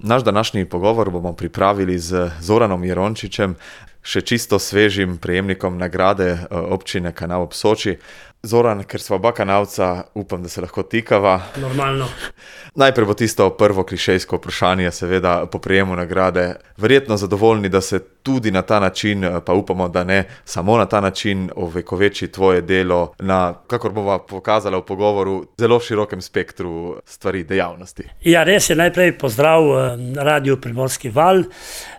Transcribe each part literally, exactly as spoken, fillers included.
Naš današnji pogovor bomo pripravili z Zoranom Jerončičem, še čisto svežim prejemnikom nagrade občine Kanal ob Soči. Zoran, ker sva oba kanalca, upam, da se lahko tikava. Normalno. Najprej bo tisto prvo klišejsko vprašanje, seveda po prejemu nagrade. Verjetno zadovoljni, da se tudi na ta način, pa upamo, da ne samo na ta način, ovekoveči tvoje delo na, kakor bova pokazala v pogovoru, zelo širokem spektru stvari, dejavnosti. Ja, res je, najprej pozdrav Radio Primorski val.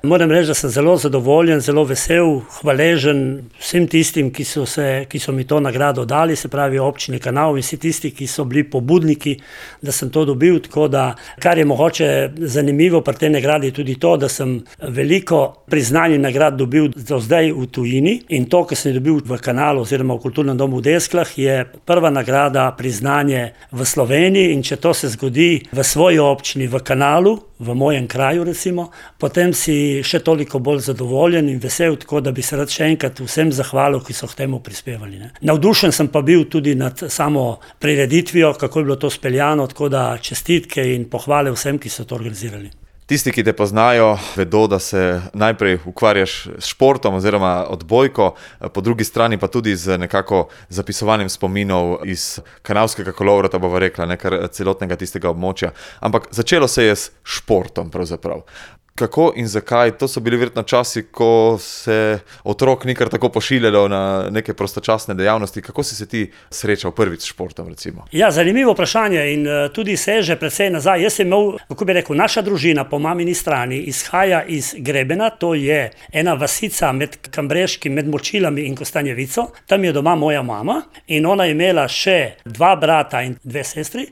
Moram reči, da sem zelo zadovoljen, zelo vesel, hvaležen vsem tistim, ki so, se, ki so mi to nagrado dali, se pravi občini Kanal in vsi tisti, ki so bili pobudniki, da sem to dobil, tako da, kar je mogoče zanimivo pri tej nagradi tudi to, da sem veliko priznanj in nagrad dobil do zdaj v tujini in to, kar sem dobil v Kanalu oziroma v Kulturnem domu v Desklah, je prva nagrada, priznanje v Sloveniji in če to se zgodi v svoji občini, v Kanalu, v mojem kraju recimo, potem si še toliko bolj zadovoljen in vesel, tako da bi se rad še enkrat vsem zahvalil, ki so k temu prispevali. Ne. Navdušen sem pa bil tudi nad samo prireditvijo, kako je bilo to speljano, tako da čestitke in pohvale vsem, ki so to organizirali. Tisti, ki te poznajo, vedo, da se najprej ukvarjaš s športom oziroma odbojko, po drugi strani pa tudi z nekako zapisovanjem spominov iz kanalskega kolovrata, bova rekla, nekar celotnega tistega območja. Ampak začelo se je s športom pravzaprav. Kako in zakaj? To so bili verjetno časi, ko se otrok nikar tako pošiljalo na neke prostočasne dejavnosti. Kako si se ti srečal prvič s športom, recimo? Ja, zanimivo vprašanje in tudi seže precej nazaj. Jaz sem imel, kako bi rekel, naša družina po mamini strani izhaja iz Grebena, to je ena vasica med Kambreškim, med Močilami in Kostanjevico. Tam je doma moja mama in ona je imela še dva brata in dve sestri.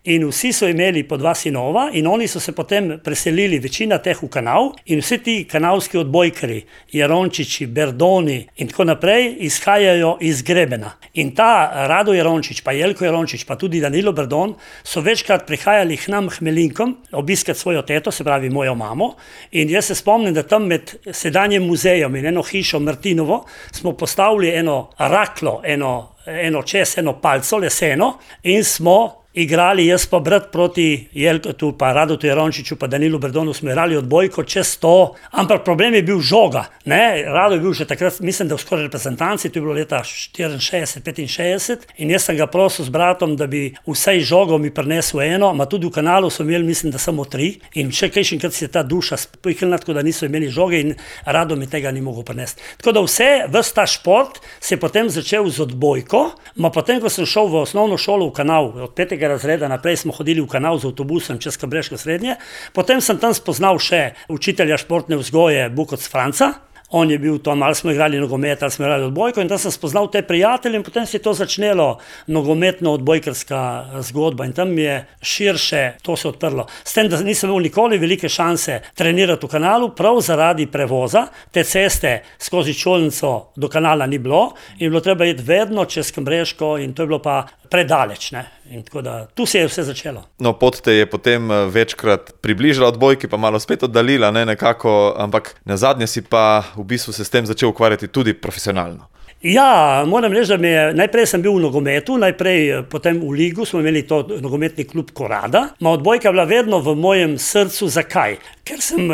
In vsi so imeli po dva sinova in oni so se potem preselili, večina teh v Kanal in vsi ti kanalski odbojkari, Jerončiči, Berdoni in tako naprej, izhajajo iz Grebena. In ta Rado Jerončič, pa Jelko Jerončič, pa tudi Danilo Berdon so večkrat prihajali k nam Hmelinkom obiskat svojo teto, se pravi mojo mamo. In jaz se spomnim, da tam med sedanjem muzejem in eno hišo Martinovo smo postavili eno raklo, eno, eno čez, eno palco, leseno in smo igrali, jaz pa brat proti Jelkotu, pa Radotu Jerončiču, pa Danilu Berdonu smo igrali odbojko čez sto, ampak problem je bil žoga. Ne? Rado je bil že takrat, mislim, da v skoraj reprezentanci, to je bilo leta štiriinšestdeset petinšestdeset in jaz sem ga prosil s bratom, da bi vsaj žogo mi prinesel eno, ma tudi v Kanalu so imeli, mislim, da samo tri in še kajšenkrat si je ta duša spihlila, tako da niso imeli žoge in Rado mi tega ni mogel prinesti. Tako da vse, ves ta šport se je potem začel z odbojko, ma potem, ko sem šel v osnovno šolo v Kanal, od petega razreda naprej smo hodili v Kanal z avtobusom čez Kambreško srednje. Potem sem tam spoznal še učitelja športne vzgoje Bukoc Franca. On je bil to, malo smo igrali nogomet, ali smo igrali odbojko in tam sem spoznal te prijatelje in potem se je to začnelo nogometno odbojkarska zgodba in tam je širše to se odprlo. S tem, da nisem imel nikoli velike šanse trenirati v Kanalu, prav zaradi prevoza, te ceste skozi Čolnico do Kanala ni bilo in bilo treba iti vedno čez Kambreško in to je bilo pa predaleč, ne. In tako da, tu se je vse začelo. No, pot te je potem večkrat približala odbojki, pa malo spet oddalila, ne, nekako, ampak nazadnje si pa v bistvu se s tem začel ukvarjati tudi profesionalno. Ja, moram reči, da mi je, najprej sem bil v nogometu, najprej potem v ligu, smo imeli to nogometni klub Korada, ma odbojka je bila vedno v mojem srcu. Zakaj? Ker sem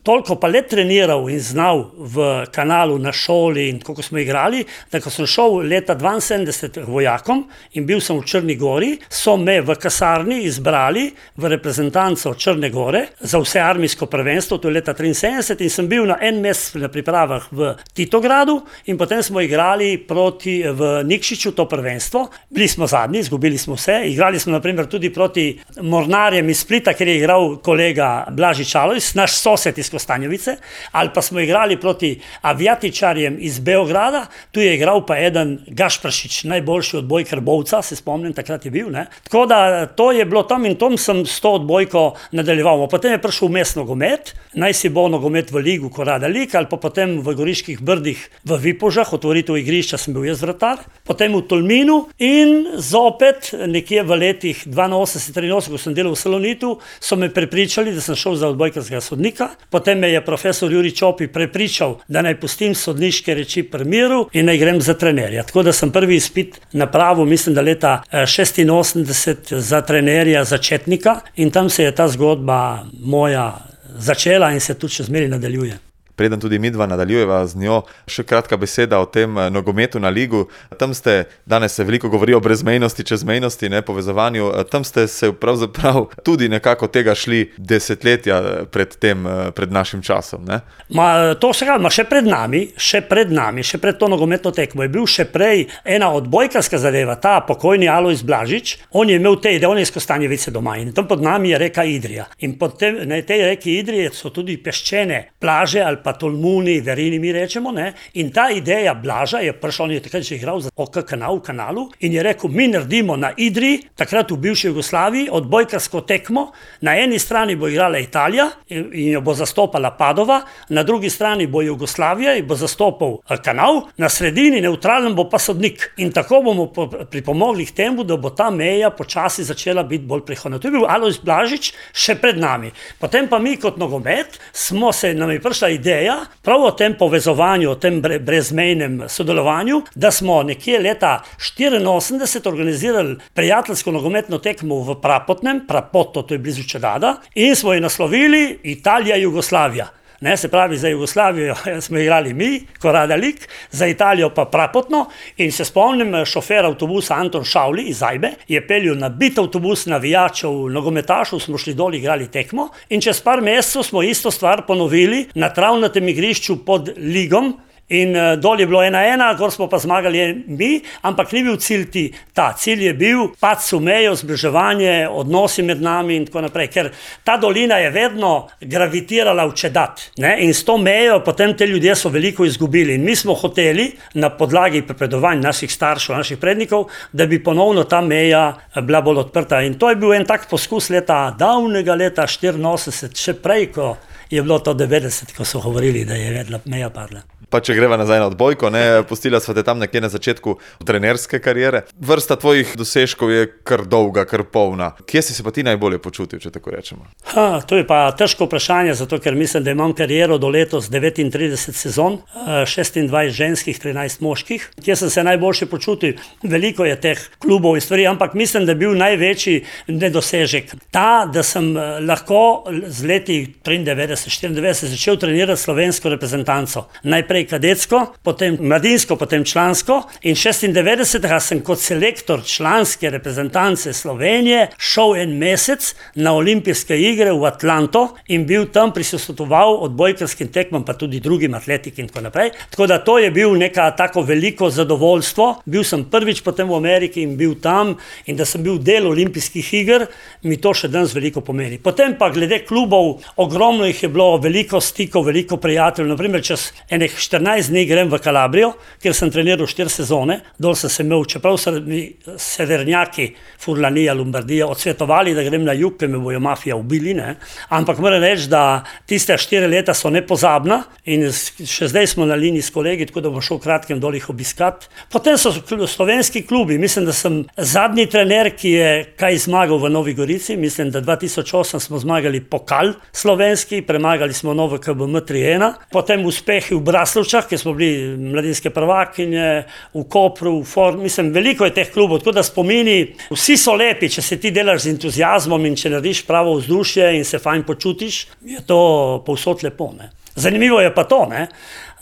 toliko pa let treniral in znal v Kanalu, na šoli in kako smo igrali, da ko sem šel leta dvainsedemdeset vojakom in bil sem v Črni Gori, so me v kasarni izbrali v reprezentanco Črne Gore za vse armijsko prvenstvo, to je leta triinsedemdeset in sem bil na en mesec na pripravah v Titogradu in potem smo igrali proti v Nikšiću to prvenstvo. Bili smo zadnji, izgubili smo vse, igrali smo naprimer tudi proti Mornarjem iz Splita, ker je igral kolega Blaži Čalojs, naš sosed iz Kostanjevice, ali pa smo igrali proti Avijatičarjem iz Beograda, tu je igral pa eden Gašpršič, najboljši odbojkar Bovca, se spomnim, takrat je bil, ne. Tako da to je bilo tam in tam sem s to odbojko nadaljeval. Potem je prišel vmes nogomet, naj si bo nogomet v ligu Korada Lig, ali pa potem v Goriških Brdih v Vipožah, otvoritev igrišča sem bil jaz vratar, potem v Tolminu in zopet nekje v letih dvainosemdeset triinosemdeset, ko sem delal v Salonitu, so me prepričali, da sem šel za odbojkarskega sodnika. Potem me je profesor Jurij Čopi prepričal, da naj pustim sodniške reči pri miru in naj grem za trenerja. Tako da sem prvi izpit napravil, mislim, da leta šestinosemdeset za trenerja začetnika in tam se je ta zgodba moja začela in se tudi še zmeraj nadaljuje. Preden tudi midva nadaljujeva z njo, še kratka beseda o tem nogometu na ligu. Tam ste, danes se veliko govori o brezmejnosti, čezmejnosti, ne, povezovanju. Tam ste se pravzaprav tudi nekako tega šli desetletja pred tem, pred našim časom, ne? Ma, to se ga, ma še pred nami, še pred nami, še pred to nogometno tekmo je bil še prej ena odbojkarska zadeva, ta pokojni Alojz Blažič, on je imel te ideje, on je iz Kostanjevice doma in tam pod nami je reka Idrija. In pod te, na tej reki Idrije so tudi peščene plaže ali pa Tolmuni, Verini mi rečemo, ne? In ta ideja Blaža je prišla, on je takrat že igral za O K kanal, kanalu in je rekel, mi naredimo na Idri, takrat v bivši Jugoslaviji, odbojkarsko tekmo, na eni strani bo igrala Italija in jo bo zastopala Padova, na drugi strani bo Jugoslavija in bo zastopal kanal, na sredini neutralen bo pa sodnik. In tako bomo pripomogli k temu, da bo ta meja počasi začela biti bolj prihodna. To je bil Alojz Blažič še pred nami. Potem pa mi kot nogomet smo se, nam je prišla ideja prav o tem povezovanju, o tem brezmejnem sodelovanju, da smo nekje leta štiriinosemdeset organizirali prijateljsko nogometno tekmo v Prapotnem, Prapoto, to je blizu Čedada, in smo jo naslovili Italija-Jugoslavija. Ne, se pravi, za Jugoslavijo smo igrali mi, Korada Lik, za Italijo pa Prapotno in se spomnim, šofer avtobusa Anton Šavli iz Zajbe je peljal na bit avtobus navijačev, nogometašev, smo šli dol igrali tekmo in čez par mesecev smo isto stvar ponovili na travnatem igrišču pod Ligom. In uh, dol je bilo ena ena, gor smo pa zmagali mi, ampak ni bil cilj ti. Ta cilj je bil pač v mejo, zbliževanje, odnosi med nami in tako naprej, ker ta dolina je vedno gravitirala v Čedat, ne? In s to mejo potem te ljudje so veliko izgubili in mi smo hoteli na podlagi prepredovanj naših staršev, naših prednikov, da bi ponovno ta meja bila bolj odprta in to je bil en tak poskus leta, davnega leta štiriinosemdeset, še prej, ko je bilo to devetdeset, ko so govorili, da je vedla meja padla. Pa če greva nazaj na odbojko, ne, pustila sva te tam nekje na začetku trenerske kariere. Vrsta tvojih dosežkov je kar dolga, kar polna. Kje si se pa ti najbolje počutil, če tako rečemo? Ha, to je pa težko vprašanje, zato ker mislim, da imam kariero do letos devetintrideset sezon, šestindvajset ženskih, trinajst moških. Kje sem se najboljše počutil? Veliko je teh klubov in stvari, ampak mislim, da je bil največji nedosežek. Ta, da sem lahko z leti triindevetdeset, štiriindevetdeset začel trenirati slovensko reprezentanco. Najprej kadetsko, potem mladinsko, potem člansko in šestindevetdesetega sem kot selektor članske reprezentance Slovenije šel en mesec na olimpijske igre v Atlanto in bil tam prisostvoval odbojkarskim tekmam, pa tudi drugim atletiki in tako naprej. Tako da to je bil neka tako veliko zadovoljstvo. Bil sem prvič potem v Ameriki in bil tam in da sem bil del olimpijskih iger, mi to še danes veliko pomeni. Potem pa glede klubov, ogromno jih je bilo, veliko stikov, veliko prijateljev, naprimer čez enih štirinajst dni grem v Kalabrijo, kjer sem treniral štiri sezone, dol sem se imel, čeprav so mi severnjaki Furlanija, Lombardija odsvetovali, da grem na jug, ker me bojo mafija ubili, ne? Ampak moram reči, da tiste štiri leta so nepozabna in še zdaj smo na liniji s kolegi, tako da bom šel kratkem dol jih obiskat. Potem so slovenski klubi, mislim, da sem zadnji trener, ki je kaj zmagal v Novi Gorici, mislim, da dva tisoč osem smo zmagali pokal slovenski, premagali smo Novo K B M tri ena, potem uspehi v Braslovčah, kjer smo bili mladinske prvakinje, v Kopru, v Form, mislim, veliko je teh klubov, tako da spomini, vsi so lepi, če se ti delaš z entuziazmom in če narediš pravo vzdušje in se fajn počutiš, je to povsod lepo, ne. Zanimivo je pa to, ne,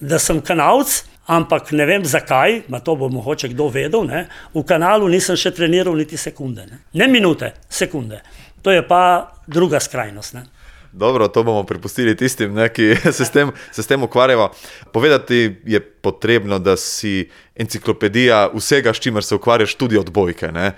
da sem Kanalc, ampak ne vem zakaj, ma to bo mogoče kdo vedel, ne, v Kanalu nisem še treniral niti sekunde, ne, ne minute, sekunde. To je pa druga skrajnost, ne. Dobro, to bomo prepustili tistim, ne, ki se s tem, se s tem ukvarjava. Povedati je potrebno, da si enciklopedija vsega, s čimer se ukvarjaš, tudi odbojke, ne.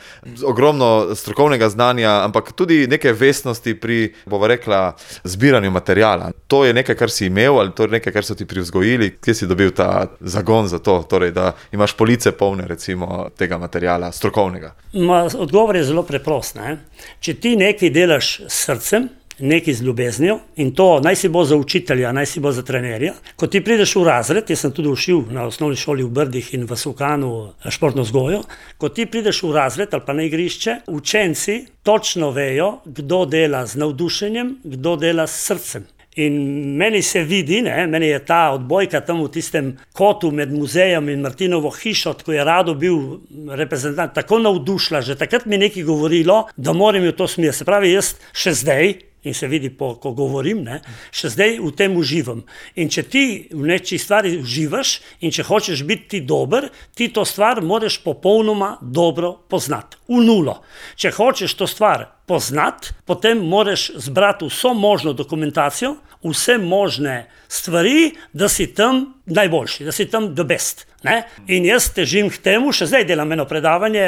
Ogromno strokovnega znanja, ampak tudi neke vestnosti pri, bova rekla, zbiranju materijala. To je nekaj, kar si imel, ali to je nekaj, kar so ti privzgojili? Kje si dobil ta zagon za to, torej, da imaš police polne, recimo, tega materijala strokovnega? Ma, odgovor je zelo preprost, ne. Če ti nekaj delaš s srcem, nekaj z ljubeznijo in to naj si bo za učitelja, naj si bo za trenerja. Ko ti prideš v razred, jaz sem tudi učil na osnovni šoli v Brdih in v Sokanu športno vzgojo, ko ti prideš v razred ali pa na igrišče, učenci točno vejo, kdo dela z navdušenjem, kdo dela s srcem. In meni se vidi, ne, meni je ta odbojka tam v tistem kotu med muzejem in Martinovo hišo, ko je Rado bil reprezentant, tako navdušila, že takrat mi nekaj govorilo, da moram v to smer. Se pravi, jaz še zdaj in se vidi, po, ko govorim, ne, še zdaj v tem uživam. In če ti v neči stvari uživaš in če hočeš biti dober, ti to stvar moraš popolnoma dobro poznati, v nulo. Če hočeš to stvar poznati, potem moraš zbrati vso možno dokumentacijo, vse možne stvari, da si tam najboljši, da si tam the best. Ne? In jaz težim k temu, še zdaj delam eno predavanje,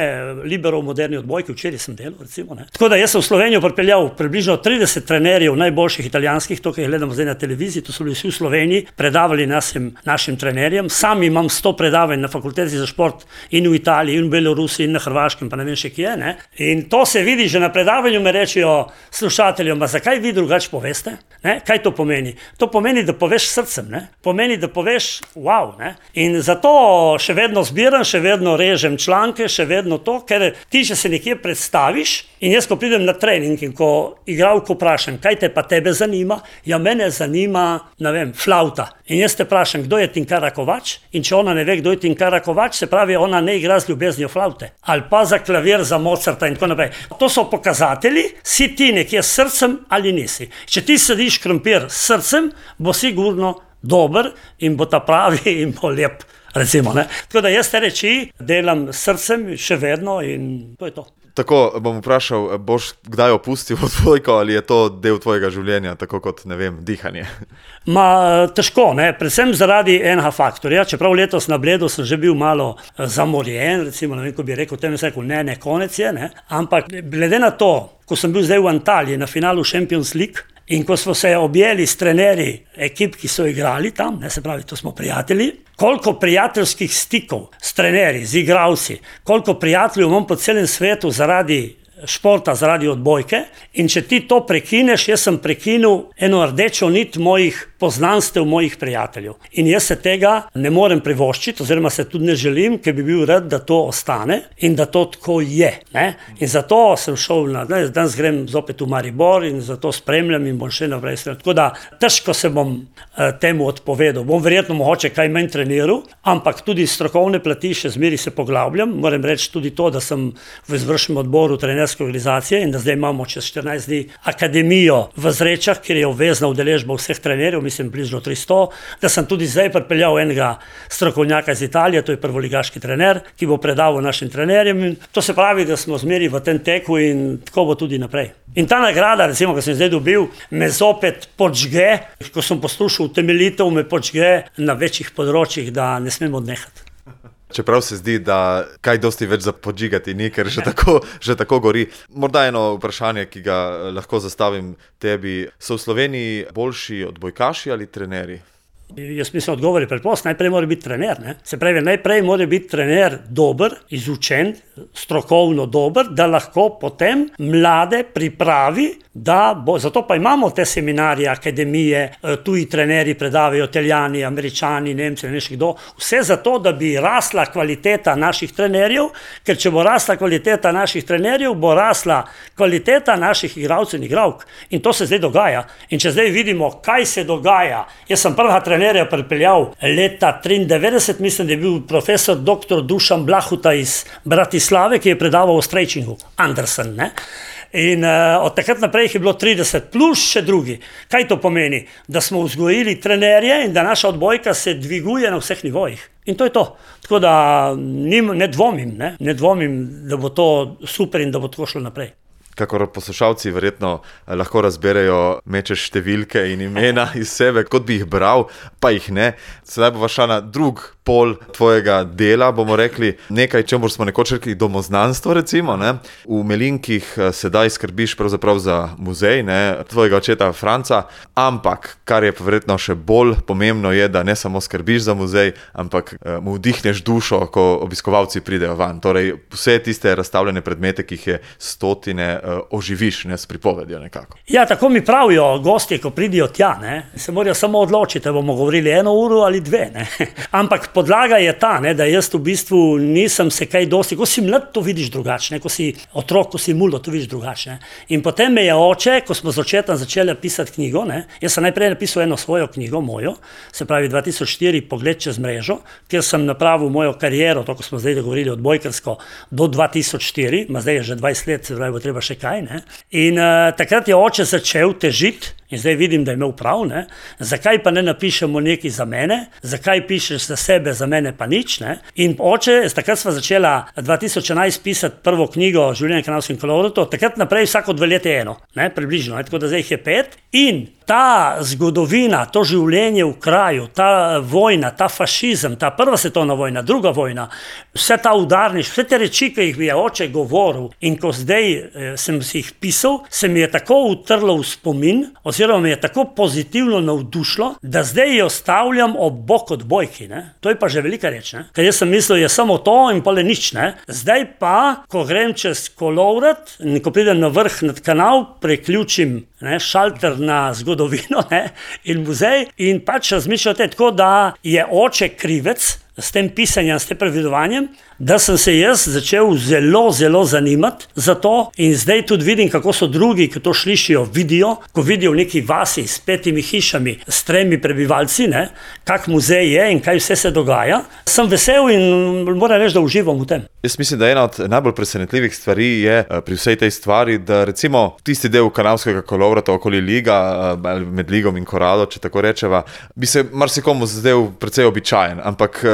Libero v moderni odbojki, včeraj sem delal, recimo. Ne? Tako da jaz sem v Slovenijo pripeljal približno trideset trenerjev najboljših italijanskih, to, ki jih gledamo zdaj na televiziji, to so bili vsi v Sloveniji, predavali našim, našim trenerjem. Sam imam sto predavanj na fakulteti za šport in v Italiji, in v Belorusiji, in na Hrvaškem, pa ne vem še kje. Ne? In to se vidi že na predavanju, me rečejo slušateljem, zakaj vi drugače poveste? Ne? Kaj to pomeni? To pomeni, da poveš srcem, ne? Pomeni, da poveš wow. Ne? In zato še vedno zbiram, še vedno režem članke, še vedno to, ker ti, če se nekje predstaviš, in jaz, ko pridem na trening in ko igralko vprašam, kaj te pa tebe zanima, ja, mene zanima, ne vem, flauta. In jaz te vprašam, kdo je Tinkara Kovač, in če ona ne ve, kdo je Tinkara Kovač, se pravi, ona ne igra z ljubeznijo flaute. Ali pa za klavir, za Mozarta in tako naprej. To so pokazatelji, si ti nekje s srcem ali nisi. Če ti sediš krompir s srcem, bo sigurno dober in bo ta pravi in bo lep. Recimo, ne? Tako da jaz te reči delam s srcem še vedno in to je to. Tako bom vprašal, boš kdaj opustil odbojko ali je to del tvojega življenja, tako kot, ne vem, dihanje? Ma, težko, ne, predvsem zaradi enega faktorja, čeprav letos na Bledu sem že bil malo zamorjen, recimo, ne vem, ko bi rekel, tem se rekel, ne, ne, konec je, ne, ampak glede na to, ko sem bil zdaj v Antaliji na finalu Champions League, in ko smo se objeli s trenerji ekip, ki so igrali tam, ne, se pravi, to smo prijatelji, koliko prijateljskih stikov s trenerji, z igralci, koliko prijateljev imam po celem svetu zaradi športa, zaradi odbojke, in če ti to prekineš, jaz sem prekinil eno rdečo nit mojih poznanstev, mojih prijateljev. In jaz se tega ne morem privoščiti, oziroma se tudi ne želim, ker bi bil rad, da to ostane in da to tako je. Ne? In zato sem šel, na, ne, danes grem zopet v Maribor in zato spremljam in bom še naprej. Tako da težko se bom eh, temu odpovedal. Bom verjetno mogoče kaj manj treniral, ampak tudi strokovne plati še zmeri se poglabljam. Moram reči tudi to, da sem v izvršnem odboru trenerske organizacije in da zdaj imamo čez štirinajst dni akademijo v Zrečah, kjer je obvezna udeležba vseh trenerjev, mislim bližno tristo, da sem tudi zdaj pripeljal enega strokovnjaka iz Italije, to je prvoligaški trener, ki bo predaval našim trenerjem. In to se pravi, da smo zmeri v tem teku in tako bo tudi naprej. In ta nagrada, recimo, ko sem zdaj dobil, me zopet počge, ko sem poslušal temeljitev, me počge na večjih področjih, da ne smemo odnehati. Čeprav se zdi, da kaj dosti več za podžigati ni, ker že tako, že tako gori. Morda eno vprašanje, ki ga lahko zastavim tebi. So v Sloveniji boljši odbojkaši ali trenerji? Jaz mislim, odgovor je preprost, najprej mora biti trener. Ne? Se pravi, najprej mora biti trener dober, izučen, strokovno dober, da lahko potem mlade pripravi, da bo, zato pa imamo te seminarije, akademije, tuji trenerji predavajo, Italijani, Američani, Nemci, ne še kdo, vse zato, da bi rasla kvaliteta naših trenerjev, ker če bo rasla kvaliteta naših trenerjev, bo rasla kvaliteta naših igralcev in igralk. In to se zdaj dogaja. In če zdaj vidimo, kaj se dogaja, jaz sem prva trenerja pripeljal leta triindevetdeset, mislim, da je bil profesor doktor Dušan Blahuta iz Bratislave, ki je predaval o stretchingu, Andersen, ne? In uh, od takrat naprej je bilo trideset plus še drugi. Kaj to pomeni? Da smo vzgojili trenerje in da naša odbojka se dviguje na vseh nivojih. In to je to. Tako da nim, ne dvomim, ne? ne dvomim, da bo to super in da bo tako šlo naprej. Kakor poslušalci verjetno lahko razberejo, mečeš številke in imena iz sebe, kot bi jih bral, pa jih ne. Sedaj bo šla na drug pol tvojega dela, bomo rekli nekaj, čemu smo nekoč rekli domoznanstvo, recimo. Ne? V Melinkih sedaj skrbiš pravzaprav za muzej, ne? Tvojega očeta Franca, ampak kar je verjetno še bolj pomembno je, da ne samo skrbiš za muzej, ampak mu vdihneš dušo, ko obiskovalci pridejo van. Torej vse tiste razstavljene predmete, ki jih je stotine, oživiš, ne, s pripovedjo nekako. Ja, tako mi pravijo gostje, ko pridijo tja, ne, se morajo samo odločiti, da bomo govorili eno uro ali dve, ne. Ampak podlaga je ta, ne, da jaz v bistvu nisem se kaj dosti, ko si mlad, to vidiš drugače, ko si otrok, ko si muldo, to vidiš drugače. In potem me je oče, ko smo z očetom začeli pisati knjigo, ne, jaz sem najprej napisal eno svojo knjigo, mojo, se pravi dva tisoč štiri, Pogled čez mrežo, kjer sem napravil mojo kariero, to, ko smo zdaj govorili odbojkarsko, do dva tisoč štiri, ma zdaj je že dvajset let, se pravi, bo treba še kaj, ne. In uh, takrat je oče začel težiti, in zdaj vidim, da je imel prav, ne? Zakaj pa ne napišemo nekaj za mene, zakaj pišeš za sebe, za mene pa nič. Ne? In oče, takrat sva začela dva tisoč enajst pisati prvo knjigo Življenje v Kanalskem kolovratu, takrat naprej vsako dve leti eno, ne? Približno, ne? Tako da zdaj jih je pet. In ta zgodovina, to življenje v kraju, ta vojna, ta fašizem, ta prva svetovna vojna, druga vojna, vse ta udarniš, vse te reči, ki jih je oče govoril, in ko zdaj eh, sem si jih pisal, se mi je tako utrlo v spomin, oziroma me je tako pozitivno navdušilo, da zdaj jo stavljam ob bok odbojki. Ne? To je pa že velika reč, ne? Ker jaz sem mislil, je samo to in pole nič. Ne? Zdaj pa, ko grem čez kolovrat, in ko pridem na vrh nad kanal, preključim, ne, šalter na zgodovino, ne, in muzej, in pač razmišljam tako, da je oče krivec s tem pisanjem, s tem predvidovanjem, da sem se jaz začel zelo, zelo zanimati za to, in zdaj tudi vidim, kako so drugi, ki to slišijo, vidijo, ko vidijo v neki vasi s petimi hišami, s tremi prebivalci, ne, kak muzej je in kaj vse se dogaja. Sem vesel in moram reči, da uživam v tem. Jaz mislim, da ena od najbolj presenetljivih stvari je pri vsej tej stvari, da recimo tisti del Kanalskega kolovrata okoli liga, med ligom in Korado, če tako rečeva, bi se marsikomu zdel precej običajen, ampak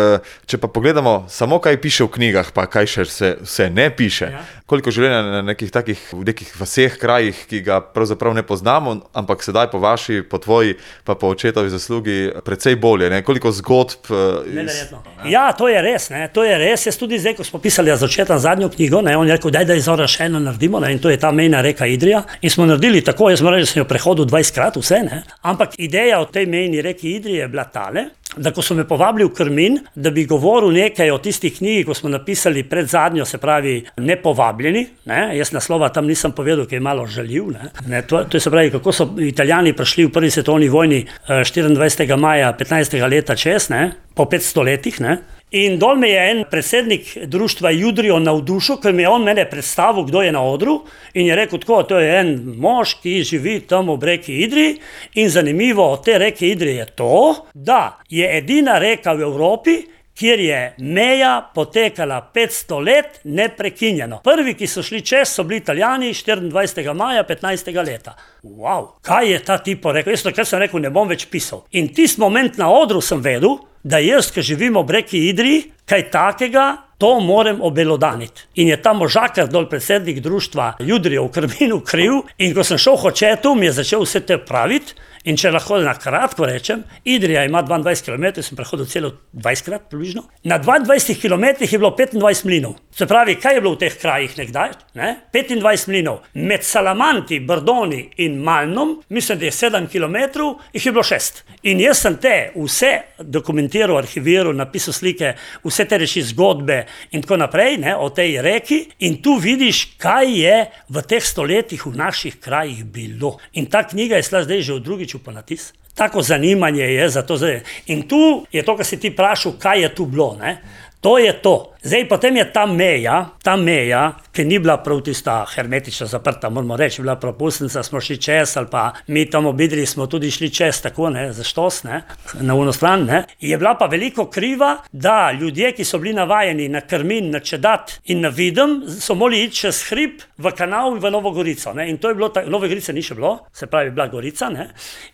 če pa pogledamo samo, kaj piše v knjigah, pa kaj še se, se ne piše, ja. Koliko življenja na nekih takih, v nekih vaseh, krajih, ki ga pravzaprav ne poznamo, ampak sedaj po vaši, po tvoji, pa po očetovi zaslugi precej bolje, ne? Koliko zgodb. Neverjetno. Ja, to je res, ne? To je res. Jaz tudi zdaj, ko smo pisali za očetom zadnjo knjigo, ne? On je rekel, daj, da izora še eno naredimo, ne? In to je ta mejna reka Idrija. In smo naredili tako, jaz moram reči, da sem jo prehodil dvajsetkrat vse, ne? Ampak ideja o tej mejni reki Idrije je bila tale, da ko so me povabili v Krmin, da bi govoril nekaj o tistih knjigi, ko smo napisali pred zadnjo, se pravi Nepovabljeni, ne? Jaz naslova tam nisem povedal, ki je malo žaljiv, ne? Ne, to, to je se pravi, kako so Italijani prišli v prvi svetovni vojni štiriindvajsetega maja petnajstega leta čez, ne? Po petsto letih, ne? In dol me je en predsednik društva Judrijo navdušil, ker mi je on mene predstavil, kdo je na odru, in je rekel tako, to je en mož, ki živi tam ob reki Idriji, in zanimivo od te reke Idrije je to, da je edina reka v Evropi, kjer je meja potekala petsto let neprekinjeno. Prvi, ki so šli čez, so bili Italijani štiriindvajsetega maja petnajstega leta. Wow, kaj je ta tipo rekel? Jaz takrat sem rekel, ne bom več pisal. In tisti moment na odru sem vedel, da jaz, ki živim ob reki Idriji, kaj takega, to moram obelodaniti. In je ta možakar dol predsednik društva Judrijo v Krminu kriv, in ko sem šel k očetu, mi je začel vse te praviti. In če lahko na kratko rečem, Idrija ima dvaindvajset kilometrov, sem prehodil celo dvajsetkrat približno. Na dvaindvajsetih kilometrih je bilo petindvajset mlinov. Se pravi, kaj je bilo v teh krajih nekdaj? Ne? petindvajset mlinov. Med Salamanti, Brdoni in Malnom, mislim, da je sedem kilometrov, jih je bilo šest. In jaz sem te vse dokumentiral, arhiviral, napisal slike, vse te reči zgodbe in tako naprej, ne, o tej reki, in tu vidiš, kaj je v teh stoletjih v naših krajih bilo. In ta knjiga je šla zdaj že v drugič pa natis. Tako zanimanje je za to zdaj. In tu je to, kar si ti vprašal, kaj je tu bilo, ne? To je to. Zdaj, potem je ta meja, ta meja, ki ni bila prav tista hermetično zaprta, moramo reči, bila propustnica, smo šli čez, ali pa mi tam obidri smo tudi šli čez, tako, ne, za štos, ne, na uno stran, ne. Je bila pa veliko kriva, da ljudje, ki so bili navajeni na Krmin, na Čedat in na Videm, so morali iti čez hrib v kanal v Novo Gorico, ne. In to je bilo, Nove Gorice ni še bilo, se pravi, bila Gorica, ne.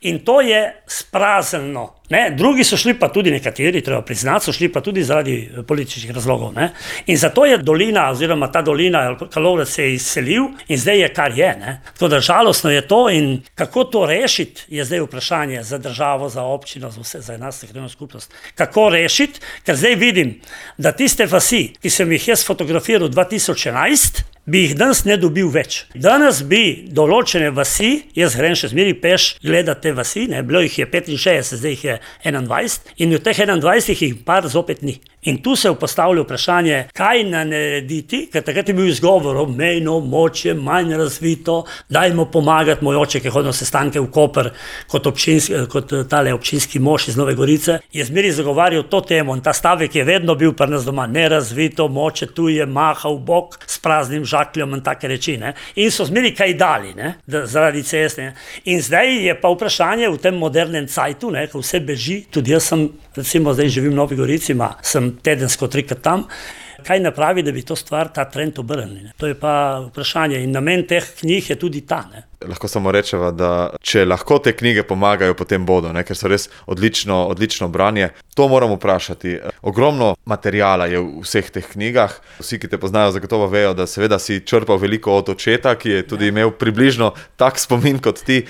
In to je sprazneno. Ne, drugi so šli pa tudi nekateri, treba priznati, so šli pa tudi zaradi političnih razlogov. Ne. In zato je dolina, oziroma ta dolina, Kalovrat se je izselil in zdaj je kar je. Ne. Tako da žalostno je to in kako to rešiti, je zdaj vprašanje za državo, za občino, za vse, za nas, za skupnost. Kako rešiti, ker zdaj vidim, da tiste vasi, ki sem jih jaz fotografiral dva tisoč enajst, bi jih danes ne dobil več. Danes bi določene vasi, jaz grem še zmeri peš gledati te vasi, ne, bilo jih je petinšestdeset, zdaj jih je enaindvajset in v teh enaindvajsetih jih par zopet ni. In tu se je postavilo vprašanje, kaj narediti, ker takrat je bil izgovor, mejno območje, manj razvito, dajmo pomagati. Moj oče, ki hodil na sestanke v Koper kot, občinski, kot tale občinski mož iz Nove Gorice, je zmeri zagovarjal to temo in ta stavek je vedno bil pri nas doma, nerazvito območje, tu je mahal bok s praznim žakljom in take reči. Ne? In so zmeri kaj dali, ne? Da, zaradi ceste. In zdaj je pa vprašanje v tem modernem cajtu, ne? Ko vse beži, tudi jaz sem, recimo zdaj živim v Novi Gorici, ma, sem tedensko trikrat tam, kaj napravi, da bi to stvar, ta trend obrnili. To je pa vprašanje in namen teh knjig je tudi ta. Ne? Lahko samo rečeva, da če lahko te knjige pomagajo, potem bodo, ne? Ker so res odlično, odlično branje. To moram vprašati. Ogromno materijala je v vseh teh knjigah. Vsi, ki te poznajo, zagotovo vejo, da seveda si črpal veliko od očeta, ki je tudi imel približno tak spomin kot ti.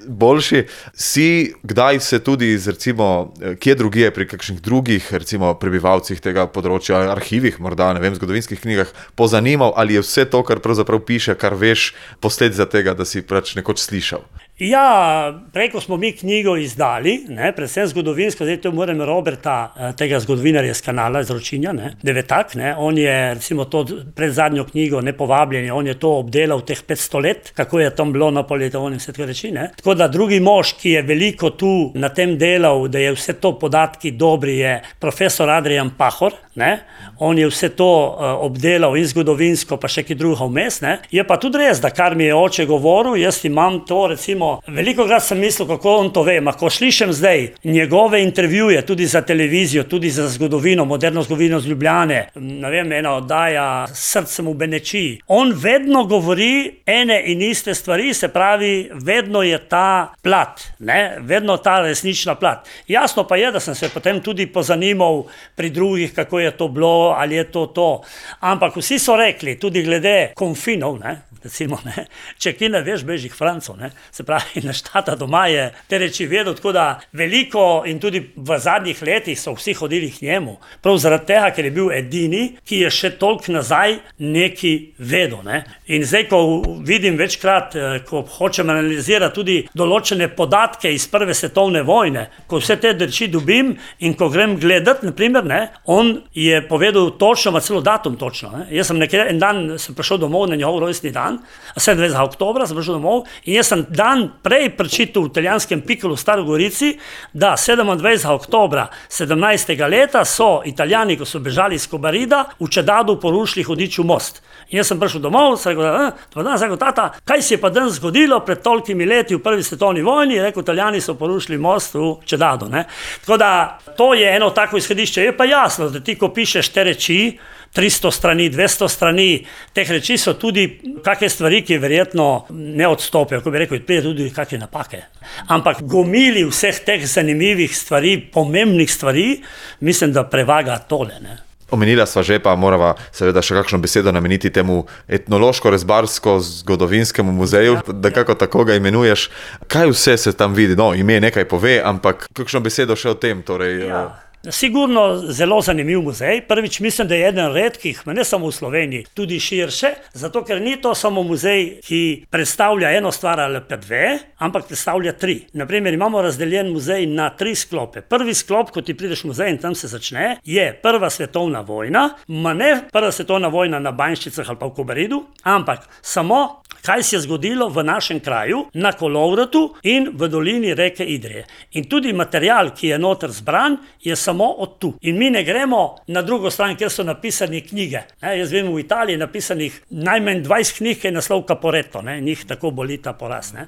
Boljši. Si kdaj se tudi iz, recimo, kje drugje pri kakšnih drugih, recimo, prebivalcih tega področja, arhivih, morda, ne vem, zgodovinskih knjigah, pozanimal, ali je vse to, kar pravzaprav piše, kar veš, posledica tega, da si pač nekoč slišal? Ja, preko smo mi knjigo izdali, ne, predvsem zgodovinsko, zdaj to moram Roberta, tega zgodovinarja z kanala, iz Ročinja, ne, Devetak, ne, on je, recimo, to pred zadnjo knjigo, Nepovabljeni, on je to obdelal teh petsto let, kako je tam bilo Napoleon in vse tako reči, ne. Tako da drugi mož, ki je veliko tu na tem delal, da je vse to podatki dobri, je profesor Adrian Pahor, ne, on je vse to uh, obdelal in zgodovinsko, pa še ki druga vmes, ne. Je pa tudi res, da kar mi je oče govoril, jaz imam to, recimo, veliko krat sem mislil, kako on to ve, ma ko slišim zdaj njegove intervjuje, tudi za televizijo, tudi za zgodovino, moderno zgodovino z Ljubljane, ne vem, ena oddaja Srcem v Benečiji, on vedno govori ene in iste stvari, se pravi, vedno je ta plat, ne, vedno ta resnična plat. Jasno pa je, da sem se potem tudi pozanimal pri drugih, kako je to bilo, ali je to to, ampak vsi so rekli, tudi glede konfinov, ne, recimo, ne, če ki ne veš, beži k Francu, ne, se pravi, na štata doma je te reči vedel, tako da veliko in tudi v zadnjih letih so vsi hodili k njemu, prav zaradi tega, ker je bil edini, ki je še toliko nazaj neki vedel, ne. In zdaj, ko vidim večkrat, ko hočem analizirati tudi določene podatke iz prve svetovne vojne, ko vse te reči dobim in ko grem gledati, naprimer, ne, on je povedal točno, ma celo datum točno, ne. Jaz sem nekaj, en dan sem prišel domov na njegov rojstni dan, sedemindvajsetega oktobra sem prišel domov in jaz sem dan prej prečital v italijanskem Piccolu v Stari Gorici, da sedemindvajsetega oktobra sedemnajstega leta so Italijani, ko so bežali iz Kobarida, v Čedadu porušili Hudičev most. In jaz sem prišel domov, sem rekel, eh, dan, sem rekel, tata, kaj se je pa danes zgodilo pred tolikimi leti v prvi svetovni vojni, je rekel, Italijani so porušili most v Čedadu, ne. Tako da to je eno tako izhodišče, je pa jasno, da ti, ko pišeš te reči, tristo strani, dvesto strani, teh reči so tudi kakšne stvari, ki verjetno ne odstopijo, ko bi rekel, pride tudi kakšne napake. Ampak gomili vseh teh zanimivih stvari, pomembnih stvari, mislim, da prevaga tole, ne. Omenila sva že, pa morava seveda še kakšno besedo nameniti temu etnološko-rezbarsko-zgodovinskemu muzeju, da kako tako ga imenuješ. Kaj vse se tam vidi? No, ime nekaj pove, ampak kakšno besedo še o tem, torej... Ja. Sigurno zelo zanimiv muzej. Prvič mislim, da je eden redkih, ne samo v Sloveniji, tudi širše, zato ker ni to samo muzej, ki predstavlja eno stvar ali pa dve, ampak predstavlja tri. Naprimer, imamo razdeljen muzej na tri sklope. Prvi sklop, ko ti prideš v muzej in tam se začne, je Prva svetovna vojna, ma ne Prva svetovna vojna na Banjščicah ali pa v Kobaridu, ampak samo kaj se je zgodilo v našem kraju, na Kolovratu in v dolini reke Idrije. In tudi material, ki je noter zbran, je samo od tu. In mi ne gremo na drugo stran, kjer so napisane knjige. Ne, jaz vem, v Italiji je napisanih najmanj dvajset knjig, ki je naslov Caporetto, ne, njih tako boli ta poraz. Ne.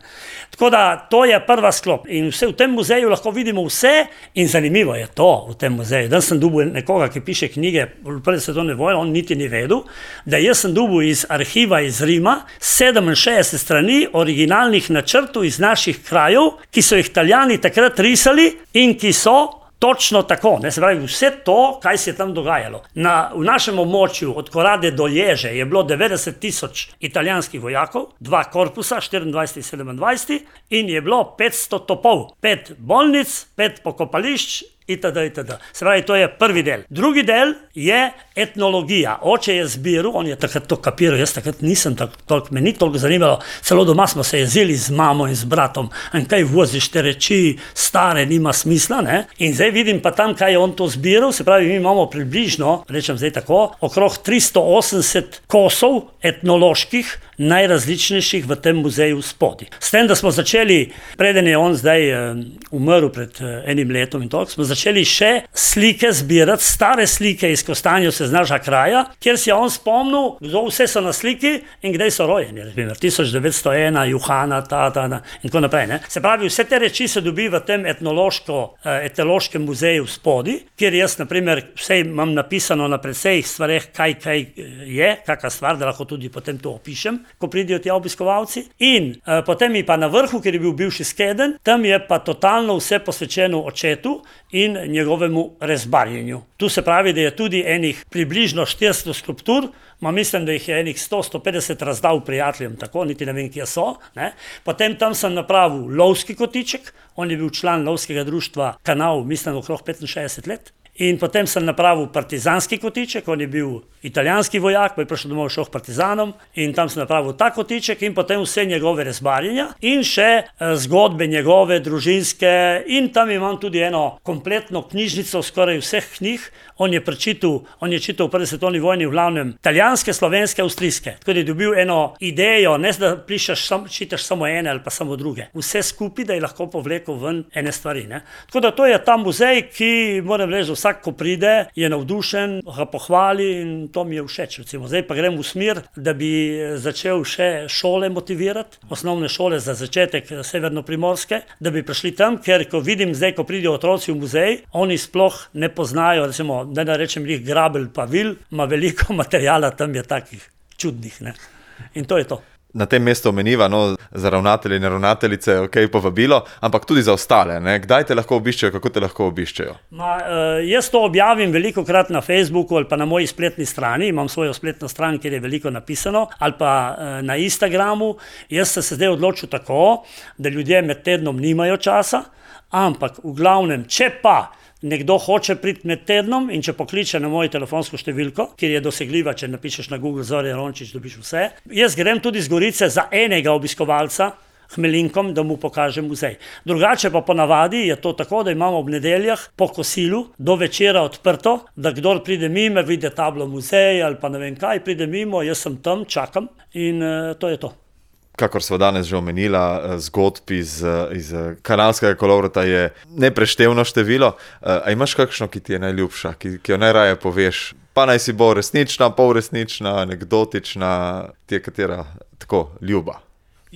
Tako da to je prva sklop. In vse, v tem muzeju lahko vidimo vse in zanimivo je to v tem muzeju. Danes sem dobil nekoga, ki piše knjige v Prvi svetovni vojni, on niti ni vedel, da jaz sem dobil iz arhiva iz Rima sedeminšestdeset strani originalnih načrtov iz naših krajev, ki so jih Italijani takrat risali in ki so točno tako, ne, se pravi, vse to, kaj se je tam dogajalo. Na, v našem območju od Korade do Ježe je bilo devetdeset tisoč italijanskih vojakov, dva korpusa, štiriindvajset in sedemindvajset, in je bilo petsto topov, pet bolnic, pet pokopališč itd., itd. Se pravi, to je prvi del. Drugi del je etnologija. Oče je zbiral, on je takrat to kapiral, jaz takrat nisem tako, toliko, me ni toliko zanimalo, celo doma smo se jezili z mamo in z bratom, in kaj voziš te reči, stare, nima smisla, ne? In zdaj vidim pa tam, kaj je on to zbiral, se pravi, mi imamo približno, rečem zdaj tako, okrog tristo osemdeset kosov etnoloških, najrazličnejših v tem muzeju spodaj. S tem, da smo začeli, preden je on zdaj um, umrl pred uh, enim letom in toliko, smo začeli še slike zbirati, stare slike iz Kostanjevskega kraja, kjer si je on spomnil, kdo vse so na sliki in kdaj so rojeni, razbimer, tisoč devetsto ena, Juhana, ta, ta, ta, in tako naprej. Ne? Se pravi, vse te reči se dobi v tem etnološko, uh, etnološkem muzeju spodaj, kjer jaz, na primer, vse imam napisano na predsejih stvareh, kaj, kaj je, kakva stvar, da lahko tudi potem to opišem, ko pridijo ti obiskovalci. In uh, potem je pa na vrhu, ker je bil bivši skedenj, tam je pa totalno vse posvečeno očetu in njegovemu rezbarjenju. Tu se pravi, da je tudi enih približno štiristo skulptur, ma mislim, da jih je enih sto do sto petdeset razdal prijateljem, tako, niti ne vem, kje so. Ne? Potem tam sem napravil lovski kotiček, on je bil član lovskega društva Kanal, mislim, okrog petinšestdeset let. In potem sem napravil partizanski kotiček, on je bil italijanski vojak, pa je prišel domov šel k partizanom in tam sem napravil ta kotiček in potem vse njegove rezbarjenja in še eh, zgodbe njegove, družinske, in tam imam tudi eno kompletno knjižnico skoraj vseh knjig. On je prečital, on je čital v prvi svetovni vojni v glavnem italijanske, slovenske, avstrijske. Tako da je dobil eno idejo, ne da pišeš, sam, čitaš samo ene ali pa samo druge. Vse skupaj, da je lahko povlekel ven ene stvari. Ne? Tako da to je ta muzej, ki, moram reči, vsak, ko pride, je navdušen, ga pohvali in to mi je všeč. Recimo. Zdaj pa grem v smer, da bi začel še šole motivirati, osnovne šole za začetek severnoprimorske, da bi prišli tam, ker ko vidim zdaj, ko pridejo otroci v muzej, oni sploh ne poznajo, recimo, da ne rečem jih grabelj pa vil, ima veliko materijala, tam je takih čudnih. Ne? In to je to. Na tem mestu omeniva, no, za ravnatelje in ravnateljice, ok, povabilo, ampak tudi za ostale, ne? Kdaj te lahko obiščejo, kako te lahko obiščejo? Ma, uh, jaz to objavim veliko krat na Facebooku ali pa na moji spletni strani, imam svojo spletno stran, kjer je veliko napisano, ali pa uh, na Instagramu. Jaz sem se zdaj odločil tako, da ljudje med tednom nimajo časa, ampak v glavnem, če pa nekdo hoče priti med tednom in če pokliče na mojo telefonsko številko, kjer je dosegljiva, če napišeš na Google Zorja Rončič, dobiš vse. Jaz grem tudi z Gorice za enega obiskovalca, Hmelinkom, da mu pokažem muzej. Drugače pa ponavadi je to tako, da imamo ob nedeljah po kosilu do večera odprto, da kdor pride mimo, vidi tablo muzej ali pa ne vem kaj, pride mimo, jaz sem tam, čakam in uh, to je to. Kakor sva danes že omenila, zgodb iz, iz Kanalskega kolovrata je nepreštevno število. A imaš kakšno, ki ti je najljubša, ki, ki jo najraje poveš? Pa naj si bo resnična, polresnična, anekdotična, ti je katera tako ljuba?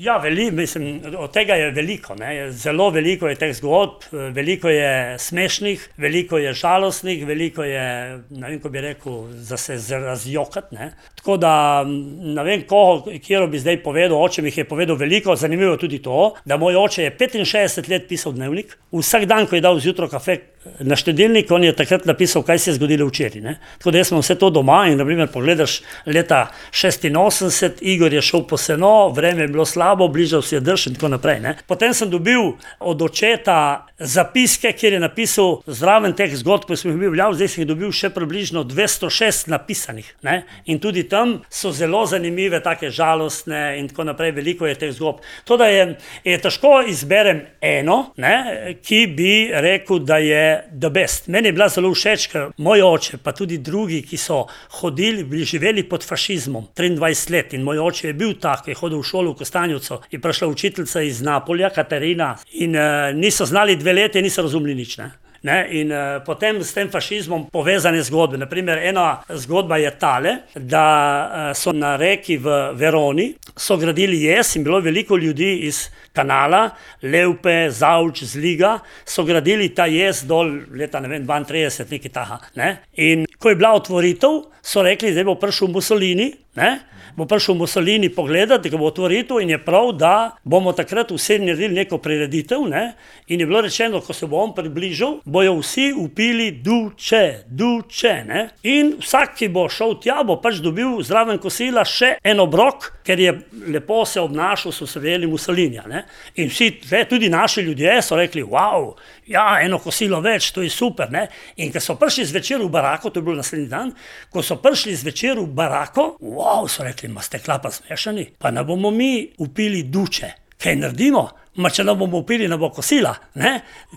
Ja, veli, mislim, od tega je veliko, ne? Zelo veliko je teh zgodb, veliko je smešnih, veliko je žalostnih, veliko je, ne vem, ko bi rekel, za se razjokati, ne? Tako da, ne vem, koho, kjero bi zdaj povedal, oče mi je povedal veliko, zanimivo tudi to, da moj oče je petinšestdeset let pisal dnevnik, vsak dan, ko je dal zjutro kafe na štedilnik, on je takrat napisal, kaj se je zgodilo včeraj, ne? Tako da jaz imam vse to doma in, na primer, pogledaš leta šestinosemdeset, Igor je šel po seno, vreme je bilo slabo, bližal si je drž in tako naprej. Ne? Potem sem dobil od očeta zapiske, kjer je napisal zraven teh zgodb, ko sem jih bil vljav, zdaj sem jih dobil še približno dvesto šest napisanih. Ne? In tudi tam so zelo zanimive, take žalostne in tako naprej, veliko je teh zgodb. To, da je, je težko izberem eno, ne, ki bi rekel, da je the best. Meni je bila zelo všeč, ker moj oče, pa tudi drugi, ki so hodili, bili živeli pod fašizmom triindvajset let in moj oče je bil tak, je hodil v šolo v Kostanjevcu, je prišla učiteljica iz Napolja, Katarina, in uh, niso znali dve leti, niso razumeli nič. Ne? Ne? In uh, potem s tem fašizmom povezane zgodbe. Naprimer, ena zgodba je tale, da uh, so na reki v Veroni, so gradili jez in bilo veliko ljudi iz Kanala, Levpe, Zavč, Zliga, so gradili ta jez dol leta, ne vem, dvaintrideset, nekaj taha. Ne? In ko je bila otvoritev, so rekli, zdaj bo prišel Mussolini, ne? bo prišel Mussolini pogledati, ga bo otvoril in je prav, da bomo takrat vsi naredili neko prireditev, ne? In je bilo rečeno, ko se bo on približal, bojo vsi upili duče, duče, ne? In vsak, ki bo šel tja, bo pač dobil zraven kosila še en obrok, ker je lepo se obnašal, so se veli Mussolinija, ne? In vsi, tudi naši ljudje so rekli, wow, ja, eno kosilo več, to je super, ne? In ko so prišli zvečer v barako, to je bilo naslednji dan, ko so prišli zvečer v barako, wow, so rekli, ma ste klapa smešani, pa ne bomo mi upili duče, kaj naredimo, ma če ne bomo upili, ne bo kosila, ne?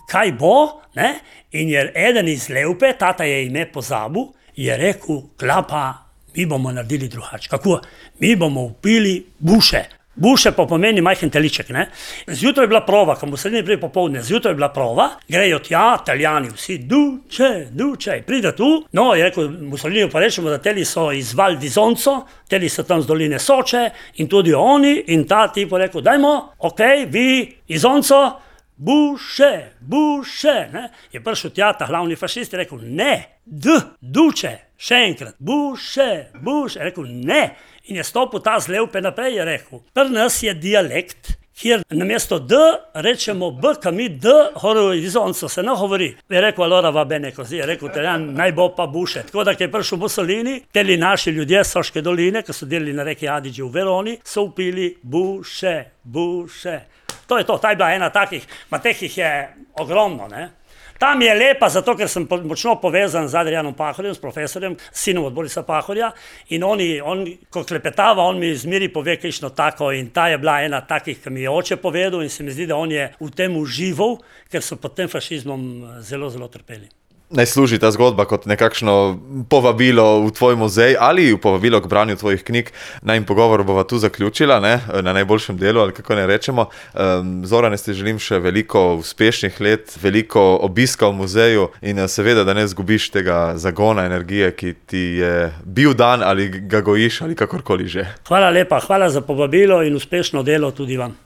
Kaj bo, ne? In je eden iz Levpe, tata je ime pozabil, je rekel, klapa, mi bomo naredili drugače, kako? Mi bomo upili buše. Buše pa pomeni majhen teliček, ne? Zjutraj je bila prova, ko Mussolini prije popoldne, zjutraj je bila prova, grejo tja, Italijani vsi, duče, duče, pride tu. No, je rekel Mussolini, pa rečemo, da teli so iz Val di Zonzo, teli so tam z doline Soče in tudi oni, in ta tipo rekel, dajmo, ok, vi iz Zonzo, buše, buše, ne? Je prišel tja, ta glavni fašist, je rekel, ne, d, duče, še enkrat, buše, buše, je rekel, ne. In je stopil ta z Levpe naprej, je rekel, pri nas je dialekt, kjer namesto D rečemo B, ka mi D, horizonco se ne govori. Je rekel, allora va bene così, je rekel, Italijan, naj bo pa buše. Tako da, ko je prišel Mussolini, teli naši ljudje Soške doline, ki so delali na reki Adige v Veroni, so upili buše, buše. To je to, ta je bila ena takih, ma teh jih je ogromno, ne. Tam je lepa, zato ker sem močno povezan z Adrianom Pahorjem, s profesorjem, sinom od Borisa Pahorja, in oni, on, ko klepetava, on mi zmeri pove kakšno tako, in ta je bila ena takih, ki mi je oče povedal, in se mi zdi, da on je v tem užival, ker so pod tem fašizmom zelo, zelo trpeli. Naj služi ta zgodba kot nekakšno povabilo v tvoj muzej ali povabilo k branju tvojih knjig. Najin pogovor bova tu zaključila, ne, na najboljšem delu, ali kako ne rečemo. Um, Zorane, ti želim še veliko uspešnih let, veliko obiska v muzeju in seveda, da ne zgubiš tega zagona, energije, ki ti je bil dan ali ga gojiš ali kakorkoli že. Hvala lepa, hvala za povabilo in uspešno delo tudi vam.